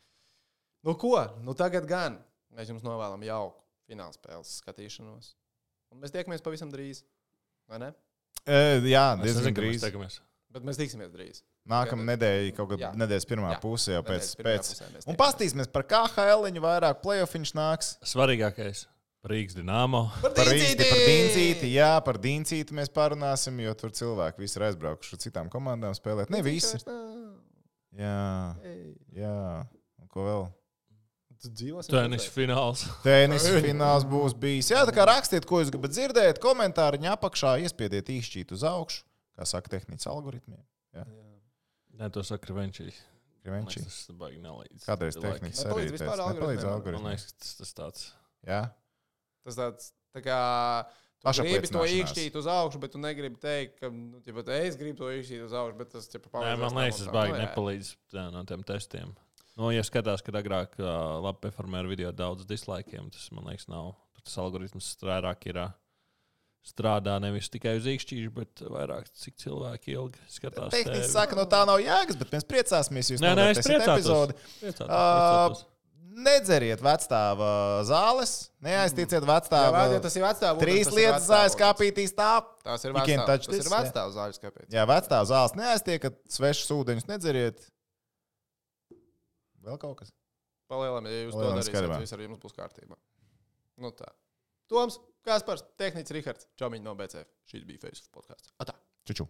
Nu ko? Nu tagad gan. Mēs jums novēlam jauku finālspēles skatīšanos. Un mēs tiekamies pavisam drīz. Vai ne? E, jā, Es diezgan nezinu, ka mēs drīz. tiekamies. Bet mēs tiksimies drīz. Nākamā nedēļa, kaut kad Jā. nedēļas pirmā Jā. pusē, jau pēc. Nedēļas pirmajā pēc. pusē mēs Un tiekamies. pastīsimies par K H L, vairāk playoff viņš nāks. Svarīgākais par Rīgas Dināmo. Par Rīgsti, par Dīncīti, jā, par Dīncīti mēs parunāsim, jo tur cilvēki visi ir aizbraukuši ar citām komandām spēlēt. Ne visi. Jā, jā. Un ko vēl? Tenis fināls. Tenis fināls būs bijis. Jā, tā kā rakstiet, ko jūs gribat dzirdēt, komentāriņā apakšā iespiediet īšķīt uz augšu, kā saka tehnikas algoritmiem. Nē, to saka Krivenčīs. Krivenči. Tas baigi nelīdz. Kādreiz tehnikas Nepalīdz arī vispār teica, nepalīdz algoritmiem. Man algoritmiem. liekas, tas, tas tāds. Jā, Tas tāds, tā kā tu Paša gribi to pliecināšanās. īkšķīt uz augšu, bet tu negribi teikt, ka, nu, ja pat es gribu to īkšķīt uz augšu, bet tas, ja Nē, palīdzēs man tam liekas, un tas tam. baigi Nu, jā. nepalīdz tā, no tiem testiem. Nu, ja skatās, kad agrāk uh, labi performēja video daudz dislaikiem, tas, man liekas, nav. Tas algoritms vairāk ir uh, strādā nevis tikai uz īkšķīšu, bet vairāk, cik cilvēki ilgi skatās. tehniski tevi. saka, no tā nav jēgas, bet mēs priecāsimies, jūs Nē, nē, es novērtēsiet priecātos. epizodi. Priecātos, Ā, priecātos. Nedzeriet vecstāva zāles, neaiztieciet Jā, vecstāva. vajag, ja tas ir vecāks. Trīs lietas zāles kapītīs tā. Tas ir You can vecāks. touch Tas this, ir vecāks zāles kāpēc. Jā, vecstāva zāles neaiztiekat, svešus ūdeņus nedzeriet. Vēl kaut kas? Palielam, ja jūs to Palielam darīsiet, skatībā. tad viss ar jums būs kārtībā. Nu tā. Toms, Kaspars, Tehnicis Rihards, Čomiņš no B C F. Šis bija Facebook podkāsts. Atā. Čuču.